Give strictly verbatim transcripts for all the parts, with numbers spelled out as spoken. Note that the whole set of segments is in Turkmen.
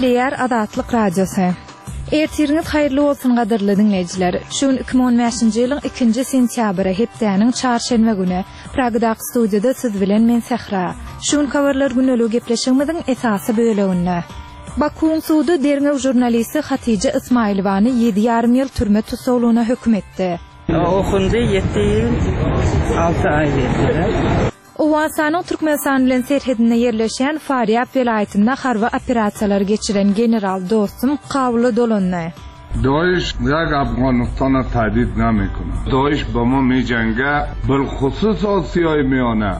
Gepleýär Azatlyk Radiosy. Ertiriňiz haýyrly bolsun gadyrly diňleýjiler. Şu gün iki müň on bäşinji ýylyň ikinji sentýabry, hepdäniň çarşenbe güni. Pragadaky studiýada siz bilen men Sähra. Şu gün habarlar gündeligi gepleşigimiziň esasy böleginde. Bakuwyň sudy derňew žurnalisti Hatija Ismailowany ýedi ýarym ýyl türme tussaglygyna höküm etdi. Okundy ýedi ýyl alty aý berdiler. Owganystanyň Türkmenistan bilen serhedinde ýerleşýän Farýab welaýatynda harby operasiýalary geçiren general Dostum Kabula dolandy. Daeş ýa Afganystana tehdit namekuna. Daeş bama meýjenge bilhusus Asiýaý miýana.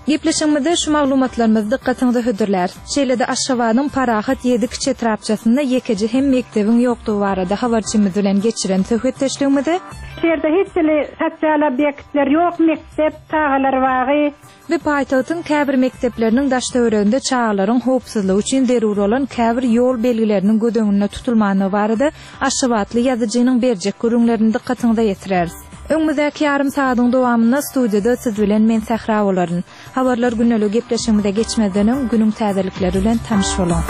Gepleşigimizde şu maglumatlarymyzy dykgatyňyza hödürläris. Şeýle-de Aşgabadyň Parahat ýedi kiçi etrapçasynda ýekeje hem mekdebiň ýokdugy barada habarçymyz bilen geçiren söhbetdeşligimizi Şu ýerde hiç hili sosial obýektler ýok, mekdep, çagalar bagy. We paýtagtyň käbir mekdepleriniň daş-töwereginde çagalaryň howpsuzlygy üçin zerur bolan käbir ýol belgileriniň göz öňünde tutulmandygy barada aşgabatly ýazyjynyň berjek gürrüňlerini dykgatyňyza ýetireris. Öňümizdäki ýarym sagadyň dowamynda studiýada siz bilen men Sähra bolaryn. Habarlar gündeligi gepleşigimize geçmezden öň günüň täzelikleri bilen tanyş boluň.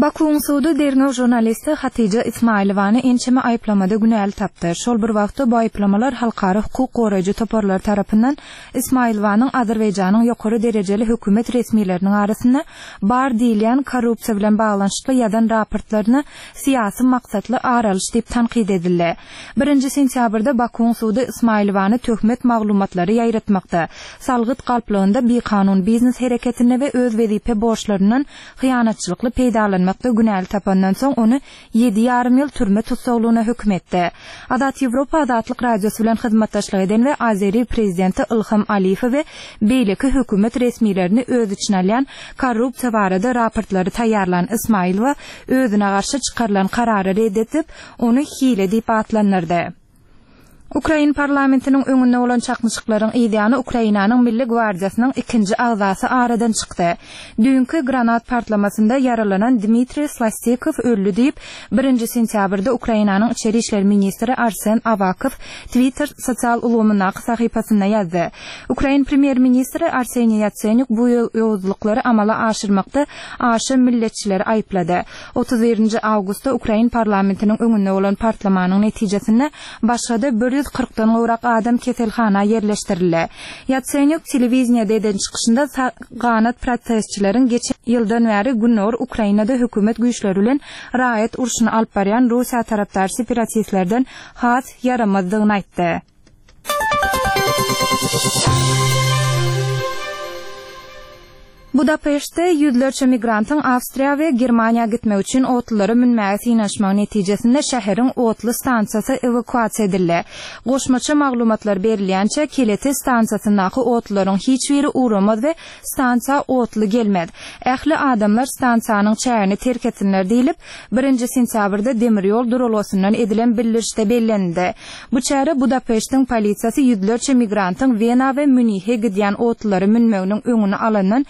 Bakuwyň sudy derňew žurnalisti Hatija Ismailowany ençeme aýyplamada günäli tapdy. Şol bir wagtda bu aýyplamalar halkara hukuk goraýjy toparlary tarapyndan Ismailowanyň Azerbaýjanyň ýokary derejeli hökümet resmileriniň arasynda bar diýilýän korrupsiýa bilen baglanyşykly ýazan raportlaryna syýasy maksatly ar alyş diýip tankyt edildi. Birinji sentýabrda Bakuwyň sudy Ismailowany töhmet maglumatlary ýaýratmakda, salgyt galplygynda bikanun biznes hereketinde we öz wezipe borçlaryndan hyýanatçylykly peýdalanmakda günäli tapandan soň ony ýedi ýarym ýyl türme tussaglygyna höküm etdi. Azat Ýewropa Azatlyk Radiosy bilen hyzmatdaşlyk eden we Azeri prezidenti Ilham Aliýewi we beýleki hökümet resmilerini öz içine alýan korrupsiýa barada raportlary taýýarlan Ismailowa özüne garşy çykarylan karary red edip, ony hile diýip atlandyrdy. Ukrain parlamentiniň öňünde bolan çaknyşyklaryň yzýany Ukrainanyň Milli gwardiýasynyň ikinji agzasy aradan çykdy. Düýnki granat partlamasynda ýaralanan Dmitriý Slastikow öldi diýip, birinji sentýabrda Ukrainanyň içeri işler ministri Arsen Awakow Twitter sosial ulgamyndaky sahypasynda ýazdy. Ukrain premýer-ministri Arseniý Ýatsenýuk bu ýowuzlyklary amala aşyrmakda aşa milletçileri aýyplady. Otuz birinji awgustda Ukrain parlamentiniň öňünde bolan partlamanyň netijesinde başga-da bir ýüz kyrkdan gowrak adam keselhana ýerleşdirildi. Ýatsenýuk telewideniýede eden çykyşynda sag ganat protestçileriň geçen ýyldan bäri Gündogar Ukrainada hökümet güýçleri bilen raýat urşuny alyp barýan Russiýa tarapdar separatistlerden has ýaramazdygyny aýtdy. Budapeştde ýüzlerçe migrantyň Awstriýa we Germaniýa gitmek üçin otlulara münmäge synanyşmagy netijesinde şäheriň otly stansiýasy ewakuasiýa edildi. Goşmaça maglumatlar berilýänçä Kelete stansiýasyndaky otlularyň hiç biri ugramaz we stansiýa otly gelmez. Ähli adamlar stansiýanyň çägini terk etsinler diýlip, birinji sentýabrda demir ýol duralgasyndan edilen bildirişde bellenildi. Bu çäre Budapeştiň polisiýasy ýüzlerçe migrantyň Wena we Münih'e gidýän otlulara münmeginiň öňüni alandan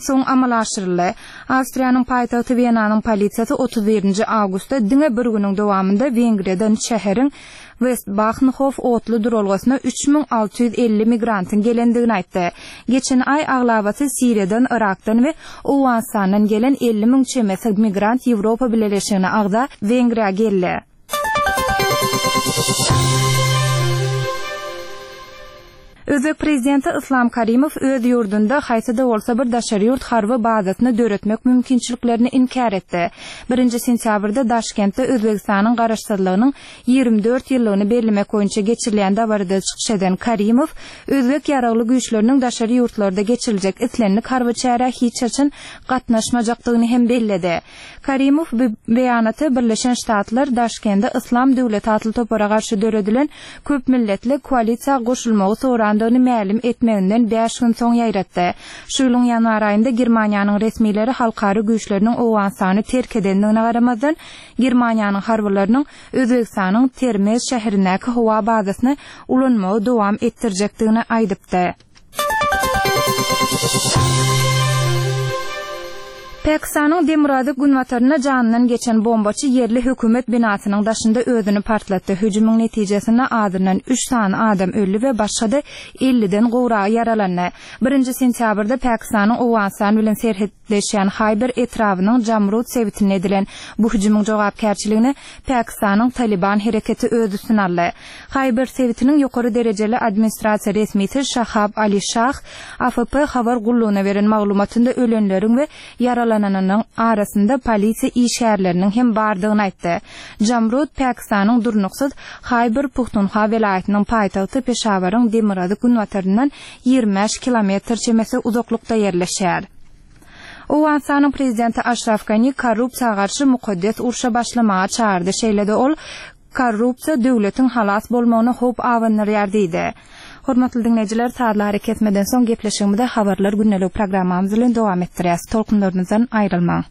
soň amala aşyryldy. Awstriýanyň paýtagty Wenanyň polisiýasy otuz birinji awgustda diňe bir günüň dowamynda Wengriýadan şäheriň Westbahnhof otly duralgasyna üç müň alty ýüz elli migrantyň gelendigini aýtdy. Geçen aý aglabasy Siriýadan, Yrakdan we Owganystandan gelen elli müň çemesi migrant Ýewropa Bileleşigine agza Wengriýa geldi. Özbek prezidenti Islam Karimow öz ýurdunda haýsy-da bolsa bir daşary ýurt harby bazasyny döretmek mümkinçiliklerini inkär etdi. Birinji sentýabrda Daşkentde Özbegistanyň garaşsyzlygynyň ýigrimi dört ýyllygyny bellemek boýunça geçirilýän dabarada çykyş eden Karimow özbek ýaragly güýçleriniň daşary ýurtlarda geçiriljek islendik harby çärä hiç haçan gatnaşmajakdygyny hem belledi. Karimow bu beýanaty Birleşen Ştatlar Daşkende Yslam döwleti atly topara garşy döredilen köp milletli koalisiýa goşulmagy sorandygyny mälim etmeginden bäş gün soň ýaýratdy. Şu ýylyň ýanwar aýynda Germaniýanyň resmileri halkara güýçleriniň Owganystany terk edendigine garamazdan, Germaniýanyň harbylarynyň Özbegistanyň Termez şäherindäki howa bazasyny ulanmagy dowam etdirjekdigini aýdypdy. Pakistanyň demirgazyk günbatarynda janyndan geçen bombaçy ýerli hökümet binasynyň daşynda özüni partlatdy. Hüjümiň netijesinde azyndan üç sany adam öldi we başga-da elliden gowragy ýaralandy. Birinji sentýabrda Pakistanyň Owganystan bilen serhetleşýän Haýber etrabynyň Jamrud sebitinde edilen bu hüjümiň jogapkärçiligini Pakistanyň Talyban hereketi öz üstüne aldy. Haýber sebitiniň ýokary derejeli administrasiýa resmisi Şahab Ali Şah A F P habar gullugyna beren maglumatynda ölenleriň we ýaralananynyň arasynda polisiýa işgärleriniň hem bardygyny aýtdy. Jamrud Pakistanyň durnuksyz Haýber Puhtunhwa welaýatynyň paýtagty Peşawaryň demirgazyk günbataryndan ýigrimi bäş kilometr çemesi uzaklykda ýerleşýär. Owganystanyň prezidenti Aşraf Gani korrupsiýa garşy mukaddes urşa başlamaga çagyrdy. Şeýle-de ol korrupsiýa döwletiň halas bolmagyna howp abandyrýar diýdi. Hormatly dinleýjiler, sazly kesmeden soň gepleşigimize habarlar gündelik programmamyz bilen dowam etdirýäs. Tolkunlarymyzdan aýrylmaň.